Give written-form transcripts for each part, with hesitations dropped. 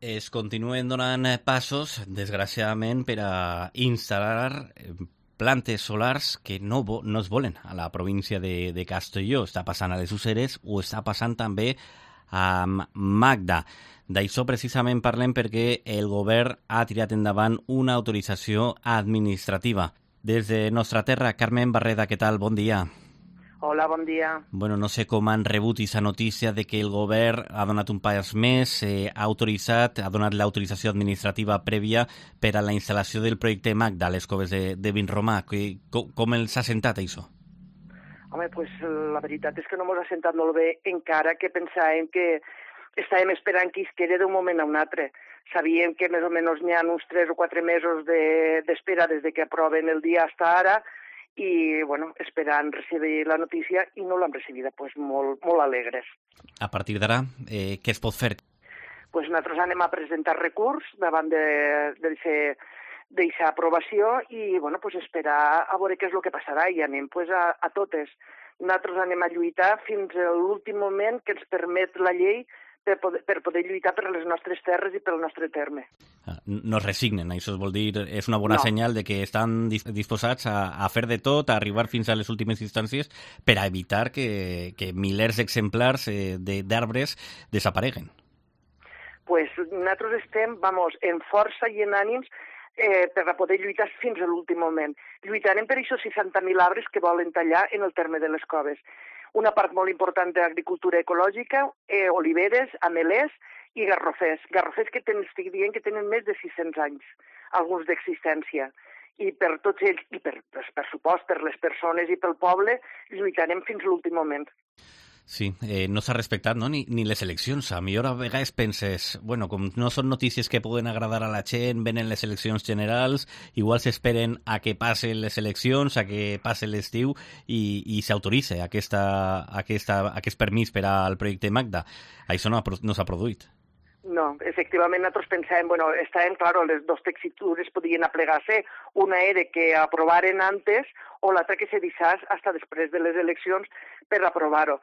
Es continuen donant passos, desgraciadament, per a instal·lar plantes solars que no es volen a la província de Castelló. Està passant a les Useres o està passant també a Magda. D'això precisament parlem perquè el govern ha tirat endavant una autorització administrativa. Des de nostra terra, Carmen Barreda, què tal? Bon dia. Hola, bon dia. Bueno, no sé com han rebut aquesta notícia de que el govern ha donat un pas més, ha donat l'autorització administrativa prèvia per a la instal·lació del projecte Magda a les coves de Vinromà. Com els ha sentat, això? Home, pues la veritat és que no ens ha sentat molt bé, encara que pensàvem que estàvem esperant que es quedi d'un moment a un altre. Sabíem que més o menys n'hi ha uns 3 o 4 mesos d'espera des que aproven el dia fins ara, i bueno, esperant recibir la notícia i no l'hem recibida, pues molt alegres. A partir d'ara, què es pot fer? Pues nosaltres anem a presentar recurs davant d'aquesta aprovació i bueno, pues esperar a veure què és el que passarà i anem pues a totes. Nosaltres anem a lluitar fins a l'últim moment que ens permet la llei per poder lluitar per les nostres terres i pel nostre terme. No es resignen, això vol dir, és una bona senyal de que estan disposats a fer de tot, a arribar fins a les últimes instàncies per a evitar que milers d'exemplars d'arbres desapareguen. Pues nosaltres estem, en força i en ànims per a poder lluitar fins a l'últim moment. Lluitarem per aquests 60.000 arbres que volen tallar en el terme de les coves. Una part molt important d'agricultura ecològica, oliveres, amelers i garrofers. Garrofers que estic dient que tenen més de 600 anys, alguns d'existència. I per tots ells, i per supost, per les persones i pel poble, lluitarem fins a l'últim moment. Sí, no s'ha respectat, no? ni les eleccions. A millor a vegades penses, bueno, com no són notícies que poden agradar a la gent, venen les eleccions generals, igual s'esperen a que passen les eleccions, a que passe l'estiu i s'autoritza aquest permís per al projecte Magda. Això no s'ha produït. No, efectivament nosaltres pensàvem, estàvem, claro, les dues textures podien aplegar-se, una era que aprovaren antes o l'altra que se deixés fins després de les eleccions per aprovar-ho.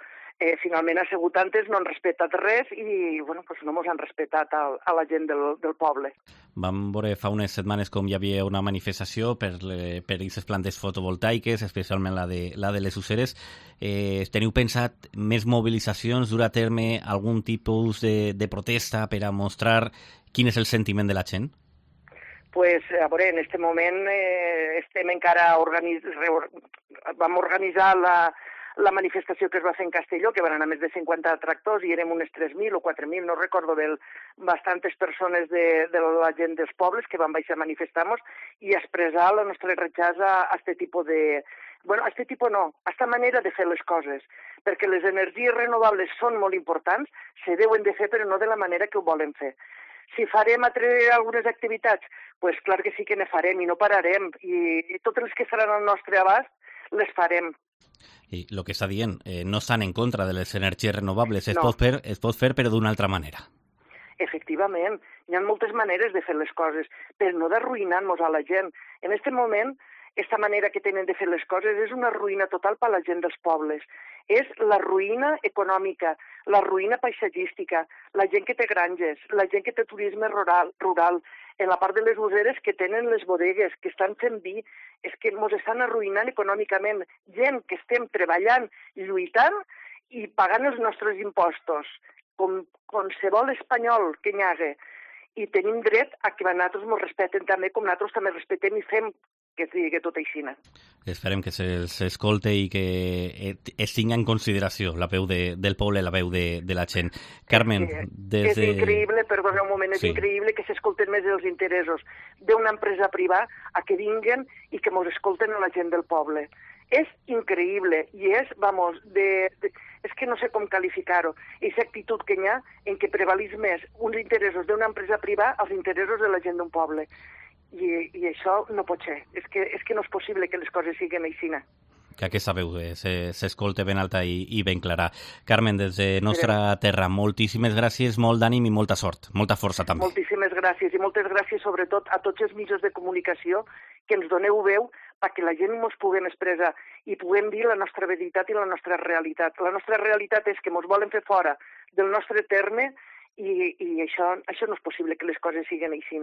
Finalment ha sigut antes, no han respectat res i no ens han respectat a la gent del poble. Vam veure fa unes setmanes com hi havia una manifestació per aquestes plantes fotovoltaiques, especialment la de les Useres. Teniu pensat més mobilitzacions, dur a terme algun tipus de protesta per a mostrar quin és el sentiment de la gent? Pues, a veure, en aquest moment estem encara vam organitzar la manifestació que es va fer en Castelló, que van anar més de 50 tractors i érem unes 3.000 o 4.000, no recordo bé, bastantes persones de la gent dels pobles que van baixar a manifestar-nos i expressar el nostre rechaç a aquest tipus de... a aquest tipus no, a aquesta manera de fer les coses, perquè les energies renovables són molt importants, se deuen de fer però no de la manera que ho volen fer. Si farem algunes activitats, pues clar que sí que ne farem i no pararem i totes les que seran al nostre abast les farem. I el que està dient, no estan en contra de les energies renovables, es No. pot fer però d'una altra manera. Efectivament, hi ha moltes maneres de fer les coses, però no d'arruïnar-nos a la gent. En aquest moment, aquesta manera que tenen de fer les coses és una ruïna total per a la gent dels pobles. És la ruïna econòmica, la ruïna paisatgística, la gent que té granges, la gent que té turisme rural, en la part de les Useres que tenen les bodegues, que estan fent vi, és que ens estan arruïnant econòmicament. Gent que estem treballant, lluitant i pagant els nostres impostos, com qualsevol espanyol que n'hi hagi. I tenim dret a que nosaltres ens respecten també, com nosaltres també respectem i fem que es digui tot així. Esperem que s'escolte i que es tingui en consideració la veu del poble, la veu de la gent. Carmen, És increïble, perdona un moment, és increïble que s'escolten més els interessos d'una empresa privada a que vinguen i que ens escolten a la gent del poble. És increïble i és, és que no sé com qualificar-ho, aquesta actitud que hi ha en què prevalís més uns interessos d'una empresa privada als interessos de la gent d'un poble. I això no pot ser. És que no és possible que les coses siguin així. Que aquesta veu s'escolta ben alta i ben clara. Carmen, des de nostra terra, moltíssimes gràcies, molt d'ànim i molta sort, molta força també. Moltíssimes gràcies i moltes gràcies sobretot a tots els mitjans de comunicació que ens doneu veu perquè la gent ens puguem expressar i puguem dir la nostra veritat i la nostra realitat. La nostra realitat és que ens volen fer fora del nostre terme I això no és possible que les coses siguin així.